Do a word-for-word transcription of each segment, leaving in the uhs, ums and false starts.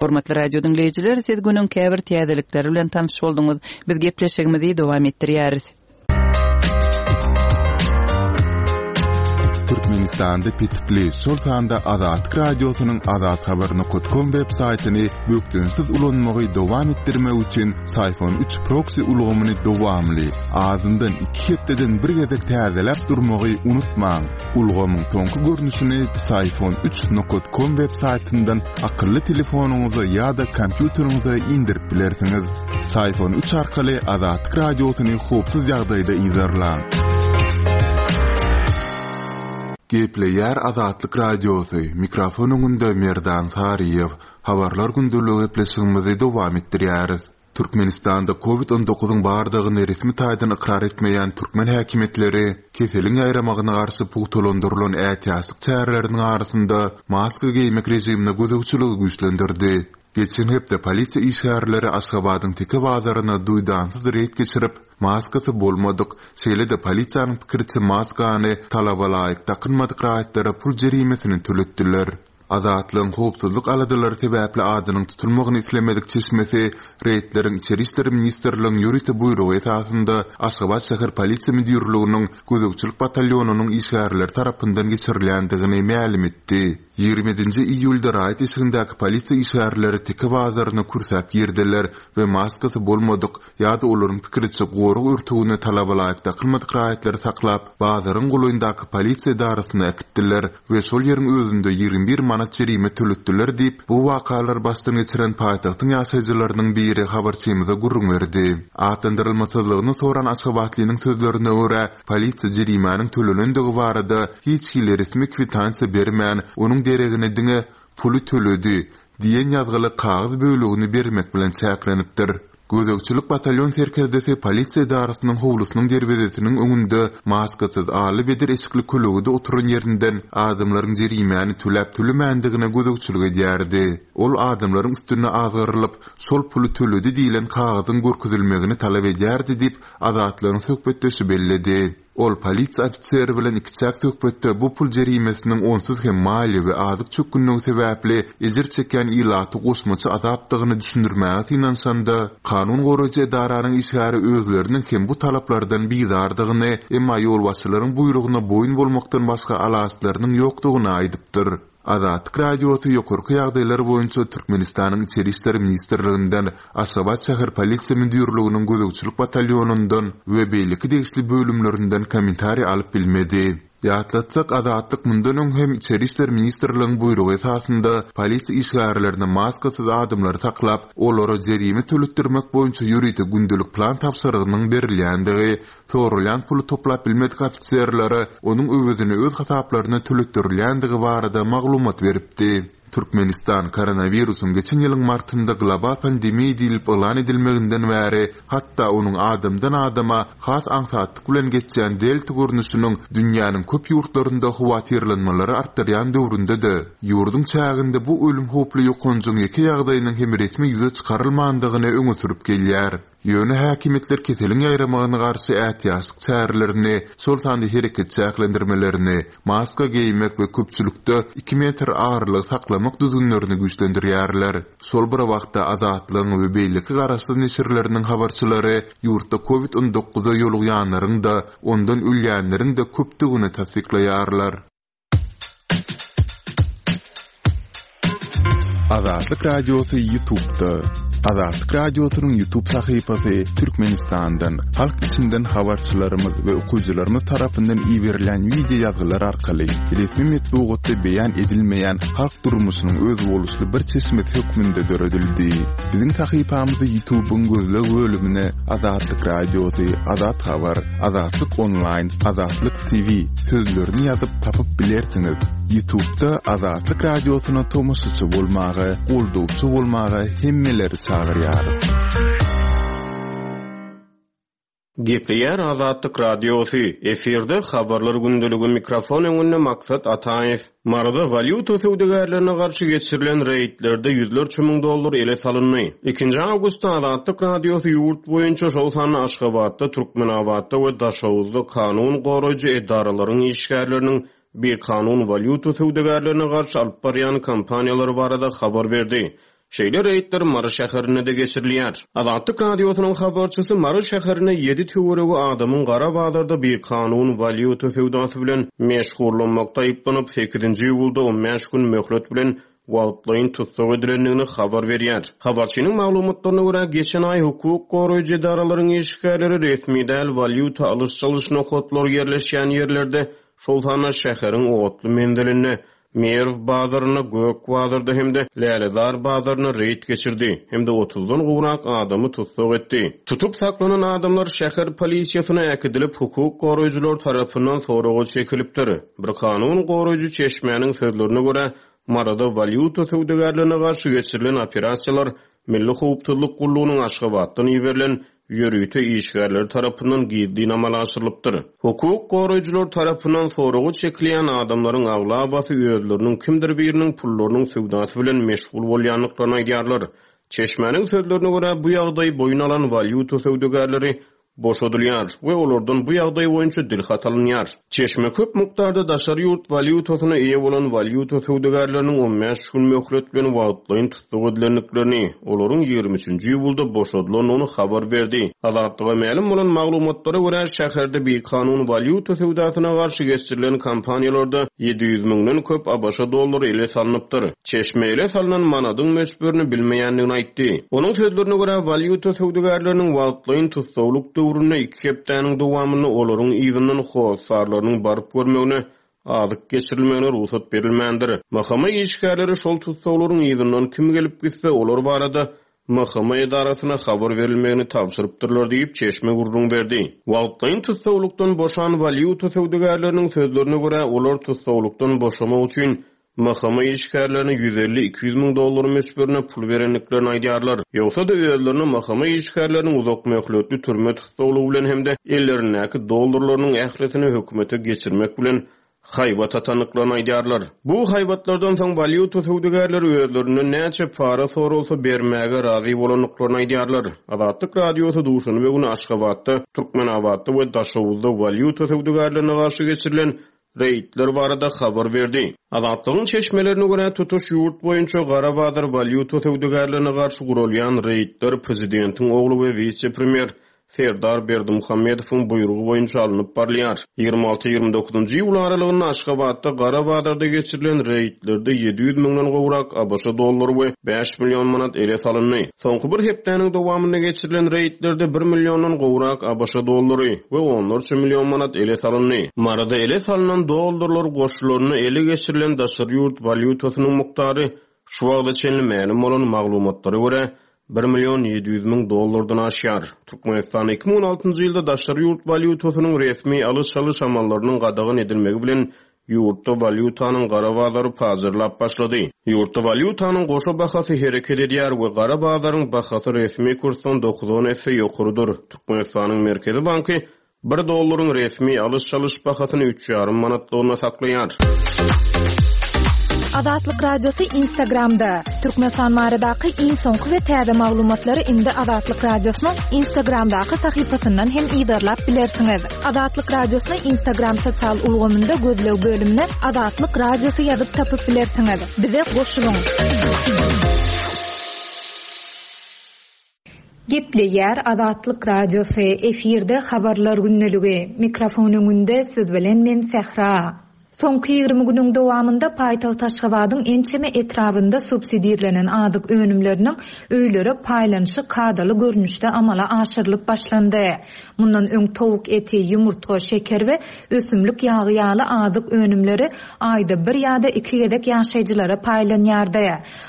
Hormatly radio diňleýjiler, siz günüň käbir täzelikleri bilen tanyş bolduňyz. Biz gepleşigimizi dowam etdirýäris. Türkmenistanda petikli, şol sanda Azatlyk Radiosynyň azathabar.com web saýtyny bökdençsiz ulanmagy dowam etdirmek üçin Syfon üç proksi ulgamyny dowamly, azyndan iki hepdeden bir gezek täzeläp durmagy unutmaň. Ulgamyň soňky görnüşini Syfon üç nokta com web saýtyndan akylly telefonyňyza ýa-da kompýuteriňize indirip bilersiňiz. Syfon üç arkaly Azatlyk Radiosyny howpsuz ýagdaýda yzarlaň. Gepleýär Azatlyk Radiosy, mikrofon öňünde Merdan Saryýew. Habarlar gündeligi gepleşigimizi dowam etdirýäris. Türkmenistanda Covid on dokuzyň bardygyny resmi taýdan ykrar etmeýän türkmen häkimiýetleri keseliň ýaýramagyna garşy pugtalandyrylan ätiýaçlyk çäreleriniň arasynda maska geýmek režimine gözegçiligi güýçlendirdi. Geçen hepde polisiýa işgärleri Aşgabadyň Teke bazaryna duýdansyz reýd geçirip, maskasy bolmadyk, şeýle-de polisiýanyň pikiriçe maskany talaba laýyk dakynmadyk raýatlara pul jerimesini töletdiler. Azatlygyň howpsuzlyk aladalary sebäpli adynyň tutulmagyny islemedik çeşmesi reýdleriň Içeri işler ministrliginiň ýörite buýrugy esasynda Aşgabat şäher polisiýa müdirliginiň gözegçilik batalýonynyň işgärleri tarapyndan geçirilýändigini mälim etdi. Ýigrimi ýedinji iýulda raýat eşigindäki polisiýa işgärleri Teke bazaryna kürsäp girdiler we maskasy bolmadyk ýa-da olaryň pikiriçe gorag örtügine talaba laýyk dakylmadyk raýatlary saklap, bazaryň golaýyndaky polisiýa edarasyna äkitdiler we şol ýeriň özünde ýigrimi bir manat jerime töletdiler diýip, bu wakalary başdan geçiren paýtagtyň ýaşaýjylarynyň biri habarçymyza gürrüň berdi. Atlandyrylmasyzlygyny soran Aşgabatlynyň sözlerine görä, polisiýa jerimäniň tölenendigi barada hiç hili resmi kwitansiýa bermän, onuň deregine diňe puly töledi diýen ýazgyly kagyz bölegini bermek bilen çäklenipdir. Gözegçilik batalyon serkerdesi polisiýa edarasynyň howlusynyň derwezesiniň öňünde maskasyz aly bedir eşikli kölegede oturan ýerinden adamlaryň jerimäni töläp tölemändigine gözegçilik edýärdi. Ol adamlaryň üstüne azgyrylyp, şol puly töledi diýlen kagyzyň görkezilmegini talap edýärdi diýip, Azatlygyň söhbetdeşi belledi. Ol polisiýa ofiseri bilen ikiçäk söhbetde bu pul jerimesiniň onsuz hem maliýe we azyk çökgünligi sebäpli ejir çekýän ilaty goşmaça azapdygyny düşündirmäge synanyşanda, kanun goraýjy edaranyň işgäri özleriniň hem bu talaplardan bizardygyny, emma ýolbaşçylaryň buýrugyna boýun bolmakdan başga alaçlarynyň ýokdugyny aýdypdyr. Azatlyk Radiosy ýokarky ýagdaýlar boýunça Türkmenistanyň Içeri işler ministrliginden, Aşgabat şäher polisiýa müdirliginiň gözegçilik batalýonyndan we beýleki degişli bölümlerinden kommentariý alyp bilmedi. Ýatlatsak, Azatlyk mundan öň hem Içeri işler ministrligiň buýrugy esasynda polisiýa işgärlerine maskasyz adamlary saklap, olara jerime töletdirmek boýunça ýörite gündelik plan tabşyrygynyň berilýändigi, sorulýan puly toplap bilmedik ofiserlere onuň öwezini öz hasaplaryna töletdirilýändigi barada maglumat beripdi. Türkmenistan koronawirusyň geçen ýylyň martynda global pandemiýa diýlip yglan edilmeginden bäri, hatda onuň adamdan adama has aňsatlyk bilen geçýän delta görnüşiniň dünýäniň köp ýurtlarynda howatyrlanmalary artdyrýan döwründe-de, ýurduň çäginde bu ölüm howply ýokanjyň ýeke ýagdaýynyň hem resmi ýüze çykarylmandygyny öňe sürüp gelýär. Ýöne häkimiýetler keseliň ýaýramagyna garşy ätiýaçlyk çärelerini, şol sanda hereket çäklendirmelerini, maska geýmek we köpçülikde iki metr aralygy saklamak düzgünlerini güýçlendirýärler. Şol bir wagtda Azatlygyň we beýleki garaşsyz neşirleriniň habarçylary ýurtda Covid on dokuza ýolugýanlaryň-da, ondan ölýänleriň-de köpdügini tassyklaýarlar. Azatlyk Radiosy YouTube'da. Azatlyk Radiosynyň YouTube sahypasy Türkmenistandan, halk içinden habarçylarymyz we okyjylarymyz tarapyndan iberilen video ýazgylar arkaly resmi metbugatda beýan edilmeýän halk durmuşynyň özboluşly bir çeşmesi hökmünde döredildi. Biziň sahypamyzy YouTube'yň gözleg bölümine Azatlyk Radiosy, Azat Habar, Azatlyk Online, Azatlyk T V sözlerini ýazyp tapyp bilersiňiz. YouTube'da Azatlyk Radiosyna tomaşaçy bolmaga, goldawçy bolmaga hemmeleri çagyrýarys. Gepleýär Azatlyk Radiosy. Efirde habarlar gündeligi, mikrofon öňünde Maksat Ataýew. Maryda walýuta söwdagärlerine garşy geçirilen reýdlerde ýüzlerçe müň dollar ele salyndy. Ikinji awgustda Azatlyk Radiosy ýurt boýunça şol sanda Aşgabatda, Türkmenabatda we Daşoguzda kanun goraýjy edaralaryň işgärleriniň bir kanun walýuta söwdagärlerine garşy alyp barýan kompaniýalary barada habar berdi. Şeýle reýdler Mary şäherinde-de geçirilýär. Azatlyk Radiosynyň habarçysy Mary şäherinde ýedi töweregi adamyň gara bazarda bikanun walýuta söwdasy bilen meşgullanmakda aýyplanyp, sekizinji iýulda on bäş gün möhlet bilen wagtlaýyn tussag edilendigini habar berýär. Habarçynyň maglumatlaryna görä, geçen aý hukuk goraýjy edaralaryň işgärleri resmi däl walýuta alyş-çalyş nokatlary ýerleşýän ýerlerde, şol sanda şäheriň otly menzilinde, Merw bazarynda, Gök bazarda hem-de Lälezar bazarynda reýd geçirdi hem-de otuzdan gowrak adamy tussag etdi. Tutup saklanan adamlar şäher polisiýasyna äkidilip, hukuk goraýjylar tarapyndan soraga çekilipdir. Bir kanun goraýjy çeşmäniň sözlerine görä, Maryda walýuta söwdagärlerine garşy geçirilen operasiýalar Milli howpsuzlyk gullugynyň Aşgabatdan iberilen ýörite işgärleri tarapyndan gizlin amala aşyrylypdyr. Hukuk goraýjylar tarapyndan soraga çekilýän adamlaryň aglabasy özleriniň kimdir biriniň pullarynyň söwdasy bilen meşgul bolýandyklaryny aýdýarlar. Çeşmäniň sözlerine görä, bu ýagdaý boýun alan walýuta söwdagärleri boşadylýar we olardan bu ýagdaý boýunça dilhat alynýar. Çeşme köp mukdarda daşary ýurt walýutasyna eýe bolan walýuta söwdagärleriniň on bäş gün möhlet bilen wagtlaýyn tussag edilendiklerini, olaryň ýigrimi üçünji iýulda boşadylandygyny habar berdi. Azatlyga mälim bolan maglumatlara görä, şäherde bikanun walýuta söwdasyna garşy geçirilen kampaniýalarda ýedi ýüz müňden köp ABŞ dollary ele salnypdyr. Çeşme ele salynan manadyň möçberini bilmeýändigini aýtdy. Onuň sözlerine görä, walýuta söwdagärleriniň wagtlaýyn tussaglyk döwründe iki hepdäniň dowamynda olaryň yzyndan hossarlarynyň baryp görmegine, azyk geçirilmegine rugsat berilmändir. M H M işgärleri şol tussaglaryň yzyndan kim gelip gitse, olar barada M H M edarasyna habar berilmegini tabşyrypdyrlar diýip, çeşme gürrüň berdi. Wagtlaýyn tussaglykdan boşan walýuta söwdagärleriniň sözlerine görä, olar tussaglykdan boşamak üçin M H M işgärlerine ýüz elli iki ýüz müň dollar möçberine pul berendiklerini aýdýarlar. Ýogsa-da özlerine M H M işgärleriniň uzak möhletli türme tussaglygy bilen hem-de ellerindäki dollarlarynyň ählisini hökümete geçirmek bilen haýbat atandyklaryny aýdýarlar. Bu haýbatlardan soň walýuta söwdagärleri özlerinden näçe para soralsa bermäge razy bolandyklaryny aýdýarlar. Azatlyk Radiosy duşenbe güni Aşgabatda, Türkmenabatda we Daşoguzda walýuta söwdagärlerine garşy geçirilen reýdler barada habar berdi. Azatlygyň çeşmelerine görä, tutuş ýurt boýunça gara bazar walýuta söwdagärlerine garşy guralýan reýdler prezidentiň ogly we wise-premýer Serdar Berdimuhamedowyň buýrugy boýunça alnyp barylýar. Ýigrimi alty ýigrimi dokuzynjy iýul aralygynda Aşgabatda gara bazarda geçirilen reýdlerde ýedi ýüz müňden gowrak ABŞ dollary we bäş million manat ele salyndy. Soňky bir hepdäniň dowamynda geçirilen reýdlerde bir milliondan gowrak ABŞ dollary we onlarça million manat ele salyndy. Maryda ele salynan dollarlar goşularyna ele geçirilen daşary ýurt walýutasynyň mukdary şu wagta çenli mälim bolan maglumatlara görä bir million ýedi ýüz müň dollardan aşýar. Türkmenistanda iki müň on altynjy ýylda daşary ýurt walýutasynyň resmi alyş-çalyş amallarynyň gadagan edilmegi bilen ýurtda walýutanyň gara bazary pazarlap başlady. Ýurtda walýutanyň goşa bahasy hereket edýär we gara bazaryň bahasy resmi kursdan dokuz on esse ýokarydyr. Türkmenistanyň Merkezi banky bir dollaryň resmi alyş-çalyş bahasyny üç ýarym manatlygyna saklaýar. Azatlyk Radiosy Instagramda. Türkmenistan baradaky iň soňky we täze maglumatlary indi Azatlyk Radiosynyň Instagramdaky sahypasyndan hem yzarlap bilersiňiz. Azatlyk Radiosyny Instagram sosial ulgamynda gözleg bölümine Azatlyk Radiosy ýazyp tapyp bilersiňiz. Bize goşulyň. Gepleýär Azatlyk Radiosy, efirde habarlar gündeligi. Mikrofon öňünde siz bilen men Sähra. Soňky ýigrimi günüň dowamynda paýtagt Aşgabadyň ençeme etrabynda subsidirlenen azyk önümleriniň öýlere paýlanyşy kadaly görnüşde amala aşyrylyp başlandy. Mundan öň towuk eti, ýumurtga, şeker we ösümlik ýagy ýaly azyk önümleri aýda bir ýa-da iki gezek ýaşaýjylara paýlanýardy.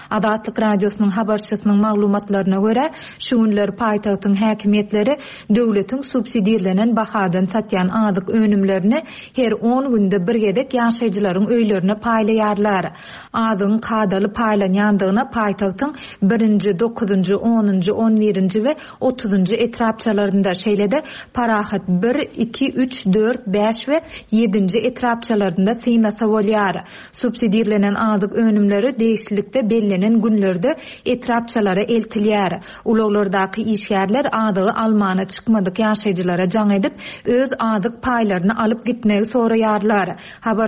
Azatlyk Radiosynyň habarçysynyň maglumatlaryna görä, şu günler paýtagtyň häkimiýetleri döwletiň subsidirlenen bahadan satýan azyk önümlerini her on günde bir gezek ýaşaýjylaryň öýlerine paýlaýarlar. Azygyň kadaly paýlanýandygyna paýtagtyň birinji, dokuzynjy, onunjy, on birinji we otuzynjy etrapçalarynda, şeýle-de Parahat bir, iki, üç, dört, bäş we ýedinji etrapçalarynda synlasa bolýar. Subsidirlenen azyk önümleri degişlilikde bellenen günlerde etrapçalara eltilýär. Ulaglardaky işgärler azygy almana çykmadyk ýaşaýjylara jaň edip, öz azyk paýlaryny alyp gitmegi soraýarlar.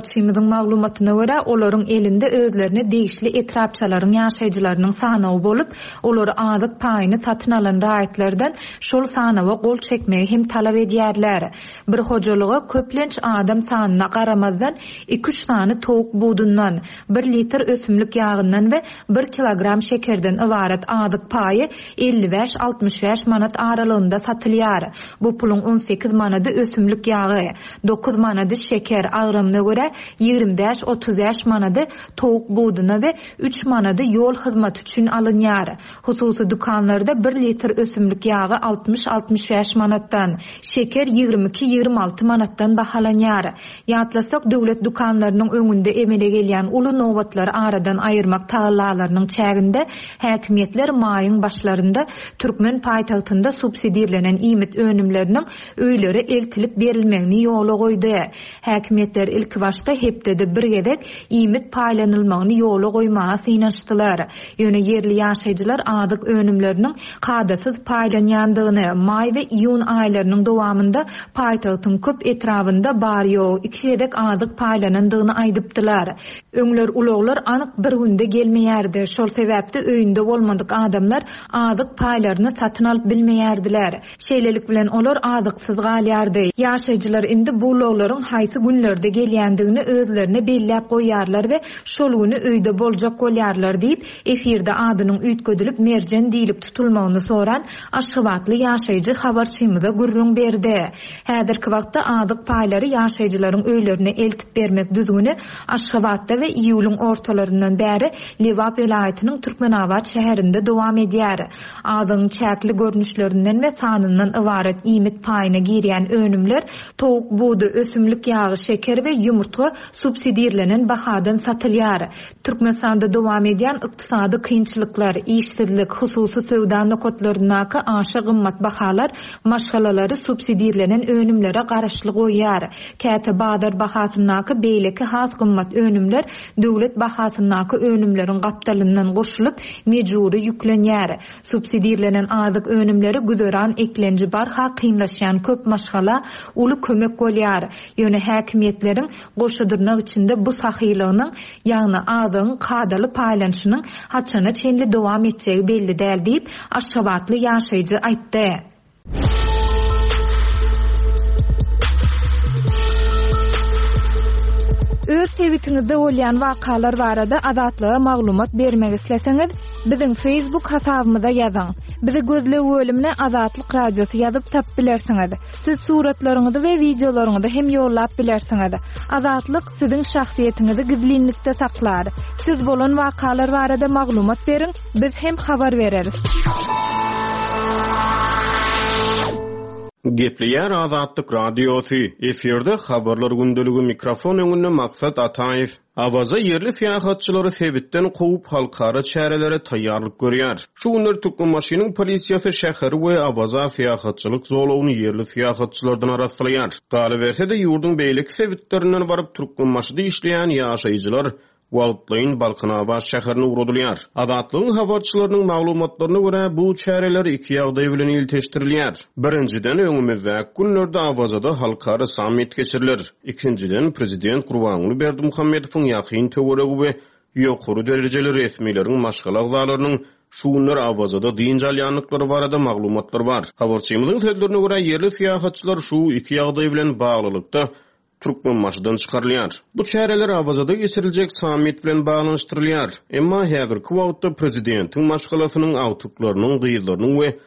Habarçymyzyň maglumatyna görä, olaryň elinde özlerine degişli etrapçalaryň ýaşaýjylarynyň sanawy bolup, olar azyk paýyny satyn alan raýatlardan şol sanawa gol çekmegi hem talap edýärler. Bir hojalyga köplenç adam sanyna garamazdan iki-üç sany towuk budundan, bir litr ösümlik ýagyndan we bir kilogram şekerden ybarat azyk paýy elli bäş-altmyş bäş manat aralygynda satylýar. Bu puluň on sekiz manady ösümlik ýagy, dokuz manady şeker, agramyna görä ýigrimi bäş-otuz bäş manady towuk buduna we üç manady ýol hyzmaty üçin alynýar. Hususy dükanlarda bir litr ösümlik ýagy altmyş-altmyş bäş manatdan, şeker ýigrimi iki-ýigrimi alty manatdan bahalanýar. Ýatlasak, döwlet dükanlarynyň öňünde emele gelýän uly nobatlary aradan aýyrmak tagallalarynyň çäginde häkimiýetler maýyň başlarynda türkmen paýtagtynda subsidirlenen iýmit önümleriniň öýlere eltilip berilmegini ýola goýdy. Häkimiýetler ilki başda hepdede bir gezek iýmit paýlanylmagyny ýola goýmaga synanyşdylar. Ýöne ýerli ýaşaýjylar azyk önümleriniň kadasyz paýlanýandygyny, maý we iýun aýlarynyň dowamynda paýtagtyň köp etrabynda bary-ýogy iki gezek azyk paýlanandygyny aýdypdylar. Öňler ulaglar anyk bir günde gelmeýärdi. Şol sebäpde öýünde bolmadyk adamlar azyk paýlaryny satyn alyp bilmeýärdiler. Şeýlelik bilen olar azyksyz galýardy. Ýaşaýjylar indi bu ulaglaryň haýsy günlerde gelýändigini özlerine belläp goýýarlar we şol güni öýde boljak bolýarlar diýip, efirde adynyň üýtgedilip Merjen diýlip tutulmagyny soran Aşgabatly ýaşaýjy habarçymyza gürrüň berdi. Häzirki wagtda azyk paýlary ýaşaýjylaryň öýlerine eltip bermek düzgüni Aşgabatda we iýulyň ortalaryndan bäri Lebap welaýatynyň Türkmenabat şäherinde dowam edýär. Azygyň çäkli görnüşlerinden we sanyndan ybarat iýmit paýyna girýän önümler towuk budy, ösümlik ýagy, şeker we ýumurtga subsidirlenen bahadan satylýar. Türkmenistanda dowam edýän ykdysady kynçylyklar, işsizlik, hususy söwda nokatlaryndaky aşa gymmat bahalar maşgalalary subsidirlenen önümlere garaşly goýýar. Käte bazar bahasyndaky beýleki has gymmat önümler döwlet bahasyndaky önümleriň gapdalyndan goşulyp mejbury ýüklenýär. Subsidirlenen azyk önümleri güzeran eklenji barha kynlaşýan köp maşgala uly kömek bolýar. Ýöne häkimiýetleriň goşudyrnak içinde bu sahylygynyň, ýagny azygyň kadaly paýlanyşynyň haçana çenli dowam etjegi belli däl diýip, Aşgabatly ýaşaýjy aýtdy. Öz sebitiňizde bolýan wakalar barada Azatlyga maglumat bermek isleseňiz, biziň Facebook hasabymyza ýazyň. Bizi gözleg bölümine Azatlyk Radiosy ýazyp tap bilersiňiz. Siz suratlaryňyzy we wideolaryňyzy hem ýollap bilersiňiz. Azatlyk siziň şahsyýetiňizi gizlinlikde saklar. Siz bolan wakalar barada maglumat beriň, biz hem habar bereris. Gepleýär Azatlyk Radiosy, efirde habarlar gündeligi, mikrofon öňünde Maksat Ataýew. Awaza ýerli syýahatçylary sebitden kowup halkara çärelere taýýarlyk görýär. Şu günler Türkmenbaşynyň polisiýasy şäheri we Awaza syýahatçylyk zolagyny ýerli syýahatçylardan arassalaýar. Galyberse-de ýurduň beýleki sebitlerinden baryp Türkmenbaşyda işleýän ýaşaýjylar wagtlaýyn Balkanabat şäherine ugradylýar. Azatlygyň habarçylarynyň maglumatlaryna görä bu çäreler iki ýagdaý bilen ilteşdirilýär. Birinjiden öňümizdäki günlerde Awazada halkara sammit geçiriler. Ikinjiden prezident Gurbanguly Berdimuhamedowyň ýakyn töweregi we ýokary derejeli resmileriň maşgala agzalarynyň şu günler Awazada dynç alýandyklary barada maglumatlar bar. Habarçymyzyň sözlerine görä ýerli syýahatçylar şu iki ýagdaý bilen baglylykda Türkmenbaşydan çykarylýar. Bu çäreler Awazada geçiriljek sammit bilen baglanyşdyrylýar. Emma häzirki wagtda prezidentiň maşgalasynyň agtyklarynyň, gyzlarynyň we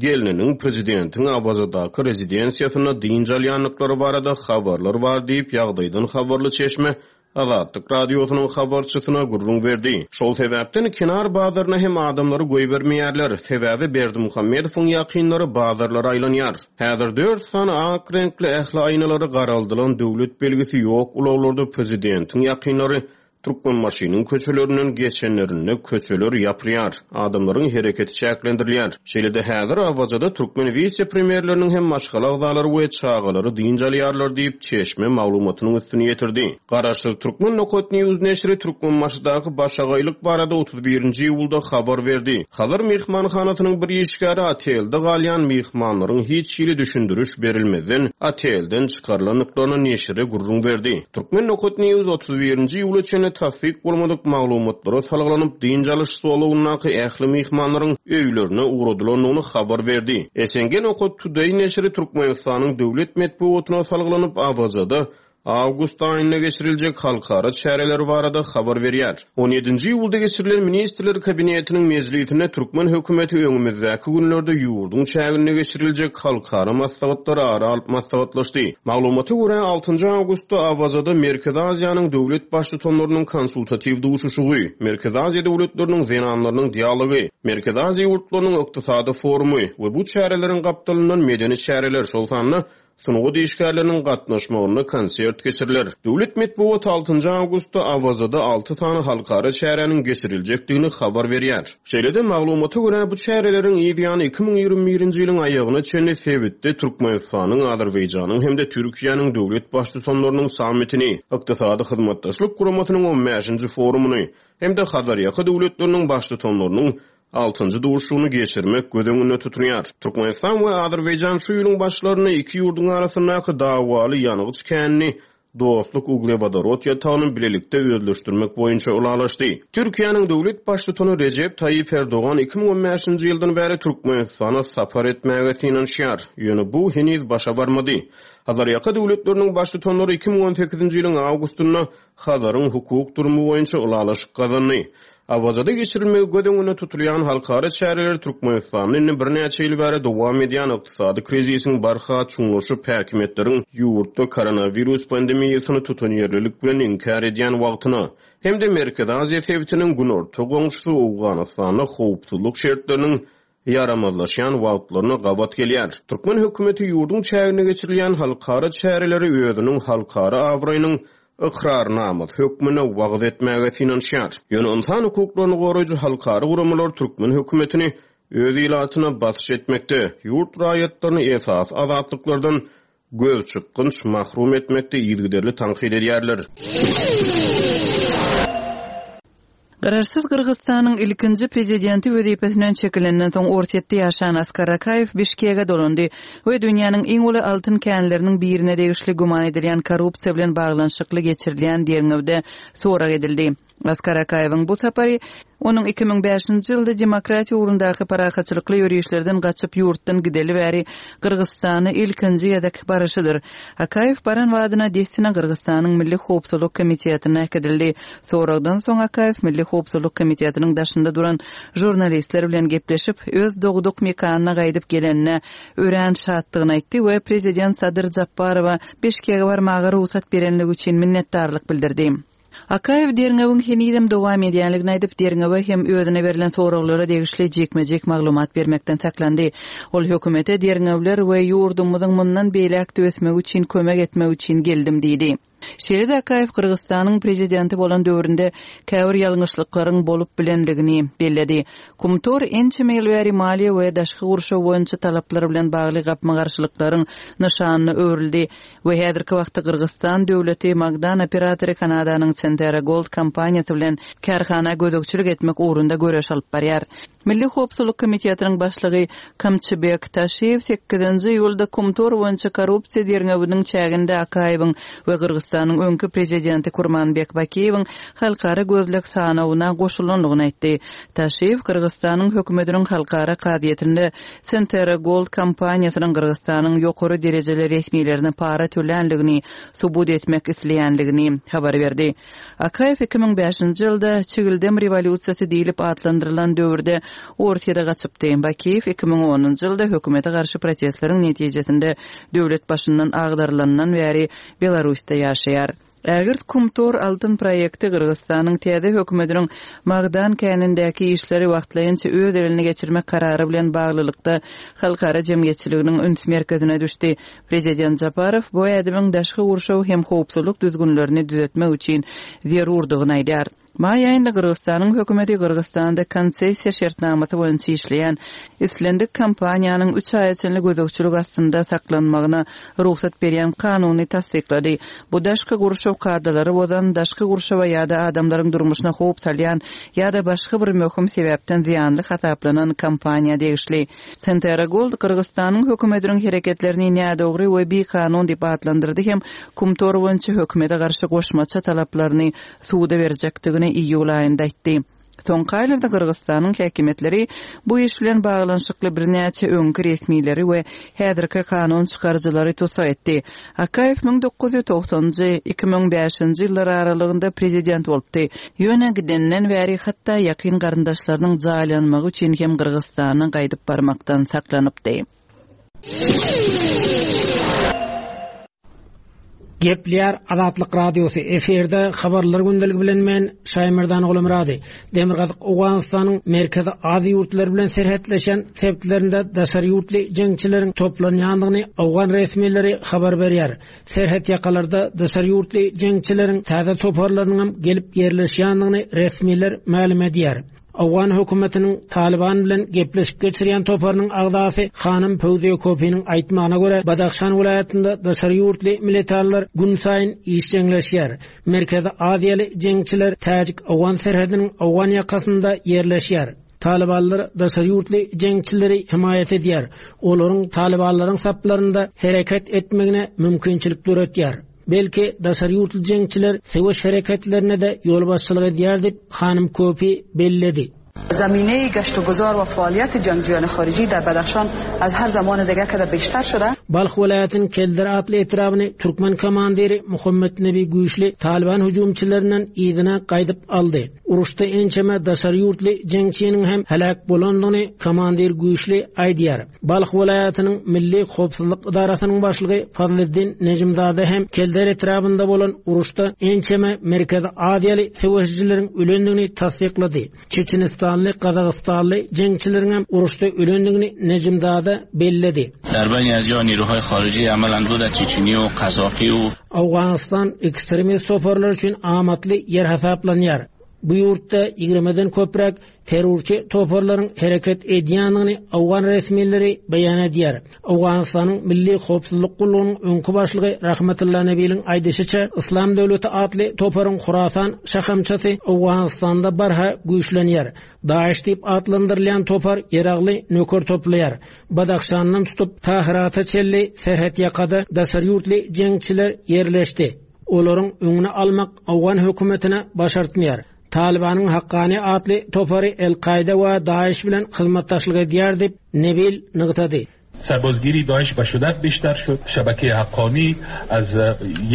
gelniniň prezidentiň Awazadaky rezidensiýasynda dynç alýandyklary barada habarlar bar diýip ýagdaýdan habarly çeşme Azatlyk Radiosynyň habarçysyna gürrüň berdi. Şol sebäpden kenar bazaryna hem adamlary goýbermeýärler. Sebäbi Berdimuhamedowyň ýakynlary bazarlara aýlanýar. Häzir dört sany ak reňkli ähli aýnalary garaldylan döwlet belgisi ýok ulaglarda prezidentiň ýakynlary Türkmenbaşynyň köçelerinden geçenlerinde köçeler ýapylýar, adamlaryň hereketi çäklendirilýär. Şeýle-de häzir Awazada türkmen wise-premýerleriniň hem maşgala agzalary we çagalary dynç alýarlar diýip, çeşme maglumatynyň üstüni ýetirdi. Garaşsyz Türkmen Nokat News neşiri Türkmenbaşydaky başagaýlyk barada otuz birinji iýulda habar berdi. Hazar myhmanhanasynyň bir işgäri otelde galýan myhmanlaryň hiç hili düşündiriş berilmezden otelden çykarylandyklaryny neşire gürrüň berdi. Türkmen Nokat News otuz birinji iýula çenli tassyk bolmadyk maglumatlara salgylanyp, dynç alyş zolagyndaky ähli myhmanlaryň öýlerine ugradylandygyny habar berdi. S N G Nokat Today neşiri Türkmenistanyň döwlet metbugatyna salgylanyp, Awazada awgust aýynda geçiriljek halkara çäreleri barada habar berýär. on ýedinji iýulda geçirilen Ministrler Kabinetiniň mejlisinde türkmen hökümeti öňümizdäki günlerde ýurduň çäginde geçiriljek halkara maslahatlary ara alyp maslahatlaşdy. Maglumata görä altynjy awgustda Awazada Merkezi Aziýanyň döwlet baştutanlarynyň konsultatiw duşuşygy, Merkezi Aziýa döwletleriniň zenanlarynyň dialogy, Merkezi Aziýa ýurtlarynyň ykdysady forumy we bu çäreleriň gapdalyndan medeni çäreler, şol sanda sungat işgärleriniň gatnaşmagynda konsert geçiriler. Döwlet metbugat altynjy awgustda Awazada alty sany halkara çäräniň geçiriljekdigini habar berýär. Şeýle-de maglumata görä bu çäreleriň ýany iki müň ýigrimi birinji ýylyň aýagyna çenli sebitde Türkmenistanyň, Azerbaýjanyň hem-de Türkiýäniň döwlet baştutanlarynyň sammitini, Ykdysady Hyzmatdaşlyk Guramasynyň on bäşinji forumyny hem-de Hazarýaka döwletleriniň baştutanlarynyň altynjy duşuşygyny geçirmek göz öňünde tutulýar. Türkmenistan we Azerbaýjan şu ýylyň başlarynda iki ýurduň arasyndaky dawaly ýangyç känini Dostluk uglewodorod ýatagyny bilelikde özleşdirmek boýunça ylalaşdy. Türkiýäniň döwlet baştutany Rejep Taýyp Erdogan iki müň on bäşinji ýyldan bäri Türkmenistana sapar etmäge synanyşýar. Ýöne bu heniz başa barmady. Hazarýaka döwletleriniň baştutanlary iki müň on sekizinji ýylyň awgustynda Hazaryň hukuk durumy boýunça ylalaşyk gazandy. Awazada geçirilmegi göz öňünde tutulýan halkara çäreler Türkmenistanda indi birnäçe ýyl bäri dowam edýän ykdysady krizisiň barha çuňlaşyp häkimiýetleriň ýurtda koronawirus pandemiýasyny tutanýerlilik bilen inkär edýän wagtyna hem-de Merkezi Aziýa sebitiniň günorta goňşusy Owganystanda howpsuzlyk şertleriniň ýaramazlaşýan wagtlaryna gabat gelýär. Türkmen hökümeti ýurduň çäginde geçirilýän halkara çäreleri özüniň halkara abraýynyň ykrarnamasy hökmünde wagyz etmäge synanyşýar. Ýöne ynsan hukuklaryny goraýjy halkara guramalar türkmen hökümetini öz ilatyna basyş etmekde, ýurt raýatlaryny esasy azatlyklardan göz çykgynç mahrum etmekde yzygiderli tankyt edýärler. Garaşsyz Gyrgyzystanyň ilkinji prezidenti wezipesinden çekilenden soň Orsýetde ýaşan Askar Akaýew Bişkege dolandy we dünýäniň iň uly altyn känleriniň birine degişli güman edilýän korrupsiýa bilen baglanyşykly geçirilýän derňewde sorag edildi. Askar Akaýewiň bu sapary onuň iki müň bäşinji ýylda demokratiýa ugrundaky parahatçylykly ýörişlerden gaçyp ýurtdan gideli bäri Gyrgyzystana ilkinji gezek baryşydyr. Akaýew baran wadyna dessine Gyrgyzystanyň Milli Howpsuzlyk Komitetine äkidildi. Soragdan soň Akaýew Milli Howpsuzlyk Komitetiniň daşynda duran žurnalistler bilen gepleşip, öz dogduk mekanyna gaýdyp gelenine örän şatdygyny aýtdy we prezident Sadyr Japarowa Bişkege barmaga rugsat berenligi üçin minnetdarlyk bildirdi. Akaýew derňewiň henizem dowam edýänligini aýdyp, derňewe hem özüne berlen soraglara degişli jikme-jik maglumat bermekden saklandy. Ol hökümete derňewler we ýurdumyzyň mundan beýläk ösmegi üçin kömek etmek üçin geldim diýdi. Şeýle-de Akaýew Gyrgyzystanyň prezidenti bolan döwründe käbir ýalňyşlyklaryň bolup bilenligini belledi. Kumtor ençeme ýyl bäri maliýe we daşky gurşaw boýunça talaplar bilen bagly gapma-garşylyklaryň nyşanyna öwrüldi we häzirki wagtda Gyrgyzystan döwleti Magdan operatory Kanadanyň Centerra Gold kompaniýasy bilen kärhana gözegçilik etmek ugrunda göreş alyp barýar. Milli Howpsuzlyk Komitetiniň başlygy Kamçybek Taşiýew sekizinji iýulda Kumtor boýunça korrupsiýa derňewiniň çäginde Akaýewiň we Gyrgyzystanyň öňki prezidenti Kurmanbek Bakiýewiň halkara gözleg sanawyna goşulandygyny aýtdy. Taşiýew Gyrgyzystanyň hökümetiniň halkara kazyýetinde Centerra Gold kompaniýasynyň Gyrgyzystanyň ýokary derejeli resmilerine para tölänligini subut etmek isleýänligini habar berdi. Akaýew iki müň bäşinji ýylda Çigildem rewolýusiýasy diýlip atlandyrylan döwürde Orsýete gaçypdy. Bakiýew iki müň onunjy ýylda hökümete garşy protestleriň netijesinde döwlet başyndan agdarylandan bäri Belarusda ýaşaýar. Ägirt Kumtor altyn proýekti Gyrgyzystanyň täze hökümetiniň magdan känindäki işleri wagtlaýynça öz eline geçirmek karary bilen baglylykda halkara jemgyýetçiliginiň üns merkezine düşdi. Prezident Japarow bu ädimiň daşky gurşaw hem howpsuzlyk düzgünlerini düzetmek üçin zerurdygyny aýdýar. Maý aýynda Gyrgyzystanyň hökümeti Gyrgyzystanda konsessiýa şertnamasy boýunça işleýän islendik kompaniýanyň üç aýa çenli gözegçilik astynda saklanmagyna rugsat berýän kanuny tassyklady. Bu daşky gurşaw kadalary bozan, daşky gurşawa ýa-da adamlaryň durmuşyna howp salýan ýa-da başga bir möhüm sebäpden zyýanly hasaplanan kompaniýa degişli. Centerra Gold Gyrgyzystanyň hökümetiniň hereketlerini nädogry we bikanun diýip atlandyrdy hem Kumtor boýunça hökümete garşy goşmaça talaplaryny suda berjekdigini iýul aýynda aýtdy. Soňky aýlarda Gyrgyzystanyň häkimiýetleri bu iş bilen baglanyşykly birnäçe öňki resmileri we häzirki kanun çykaryjylary tussag etdi. Akaýew müň dokuz ýüz togsanjy, iki müň bäşinji ýyllar aralygynda prezident bolupdy. Ýöne gidenden bäri hatda ýakyn garyndaşlarynyň jaýlanmagy üçin hem Gyrgyzystana gaýdyp barmakdan saklanypdy. Gepleýär Azatlyk Radiosy efirde habarlar gündeligi bilen men Şaýmerdan Gulmyrady. Demirgazyk Owganystanyň Merkezi Aziýa ýurtlary bilen serhetleşen sebitlerinde daşary ýurtly jeňçileriň toplanýandygyny owgan resmileri habar berýär. Serhet ýakalarda daşary ýurtly jeňçileriň täze toparlarynyň hem gelip ýerleşýändigini resmiler mälim edýär. Owgan hökümetiniň Taliban bilen gepleşip geçirýän toparynyň agzasy Hanym Pöwziýe Kopiniň aýtmagyna görä, Badahşan welaýatynda daşary ýurtly militarlar gün saýyn işjeňleşýär. Merkezi Aziýaly jeňçiler Täjik-Owgan serhediniň owgan ýakasynda ýerleşýär. Talibanlar daşary ýurtly jeňçileri himaýat edýär. Olaryň Talibanlaryň saplarynda hereket etmegine mümkinçilik döretýär. Belki daşary ýurtly jeňçiler söweş hereketlerine de ýolbaşçylyk edýär diýip Hanym Kopi belledi. Zamine گشت و گذار و فعالیت جنگجویان خارجی در بدخشان از هر زمان دیگه که بیشتر شده. Balh welaýatynyň Keldir atly etrabyny Türkmen komandiri Muhammed Nebi Güýçli Taliban hüjümçilerinden yzyna gaýdyp aldy. Uruşda ençeme daşary ýurtly jeňçiniň hem helak bolandygyny komandir Güýçli aýdýar. Balh welaýatynyň Milli Howpsuzlyk idarasynyň başlygy Fazliddin Nejimzade hem Keldir etrabynda bolan uruşda ençeme Merkezi Aziýaly söweşijileriň ölendigini tassyklady. Çeçenistanly, Gazagystanly jeňçileriň hem uruşda ölendigini Nejimzade belledi. در بین از یا نیروهای خارجی عملاً بود چچنی و قزاقی و Owganystan ekstremist toparlar üçin amatly ýer hasaplanýar. Bu ýurtda ýigrimeden köpräk terrorçy toparlaryň hereket edýändigini owgan resmileri beýan edýär. Owganystanyň Milli Howpsuzlyk gullugynyň öňki başlygy Rahmetulla Nebiliň aýdyşyça, Islam döwleti atly toparyň Hurasan şahamçasy Owganystanda barha güýçlenýär. Daesh diýip atlandyrylýan topar ýeragly nöker toplaýar. Badahşandan tutup Tahirata çenli serhet ýakada daşary ýurtly jeňçiler ýerleşdi. Olaryň öňüni almak owgan hökümetine başartmaýar. Talibanyň Hakkani atly topary El-Kaide we Daesh bilen hyzmatdaşlyk edýär diýip Nebil nygtady. سربازگیری داعش به شدت بیشتر شد. شبکه حقانی از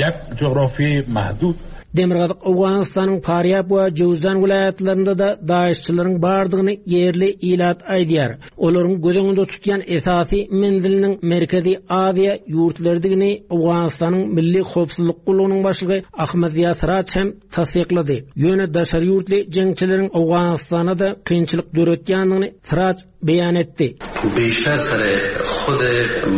یک جغرافی محدود Demirgazyk Owganystanyň Farýab we Jowzan welaýatlarynda da Daeshçilerin bardygyny ýerli ilat aýdýar. Olaryň göz öňünde tutýan esasy menziliniň Merkezi Aziýa ýurtlarydygyny Owganystanyň Milli Howpsuzlyk gullugynyň başlygy Ahmed Ziýa Siraç hem tassyklady. Ýöne daşary ýurtly jeňçileriň Owganystana da kynçylyk döretýändigini Siraç beýan etdi. Beşter sere خود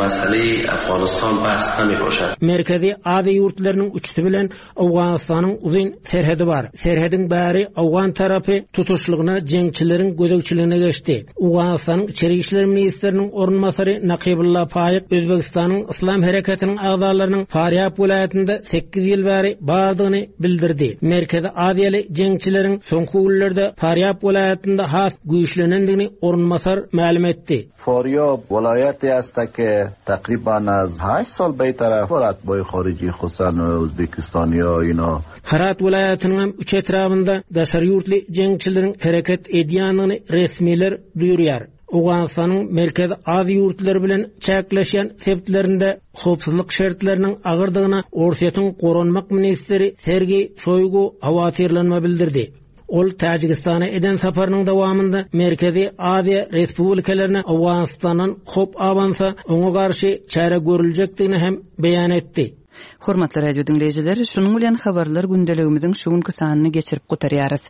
مسئله Afganistan bahs nemiboşad. Merkezi Aziýa ýurtlarynyň üçüsi bilen Owganystanyň uzyn serhedi bar. Serhediň bäri Owgan tarapy tutuşlygyna jeňçileriň gözegçiligine geçdi. Owganystanyň Içeri işler ministriniň orunbasary Nakibulla Faýyk Özbegistanyň Islam hereketiniň agzalarynyň Farýab welaýatynda sekiz ýyl bäri bardygyny bildirdi. Merkezi Aziýaly jeňçileriň soňky günlerde Farýab welaýatynda has güýçlenendigini orunbasar mälim etdi. Faryab ولایتی است که تقریبا از هشت سال به طرف اتباع خارجی خصوصا ازبکستانی ها اینا Herat welaýatynyň hem üç etrabynda daşary ýurtly jeňçileriň hereket edýändigini resmiler duýurýar. Owganystanyň Merkezi Aziýa ýurtlary bilen çäkleşýän sebitlerinde howpsuzlyk şertleriniň agyrdygyna Orsýetiň Goranmak ministri Sergey Shoigu hawatirlenme bildirdi. Ol Täjigistana eden saparynyň dowamynda Merkezi Aziýa Respublikalaryna Owganistandan hop awansa oňa garşy çäre görüljekdigini hem beýan etdi. Hormatly radio diňleýjiler, şunuň bilen habarlar gündeligimiziň şu günki sanyny geçirip gutarýarys.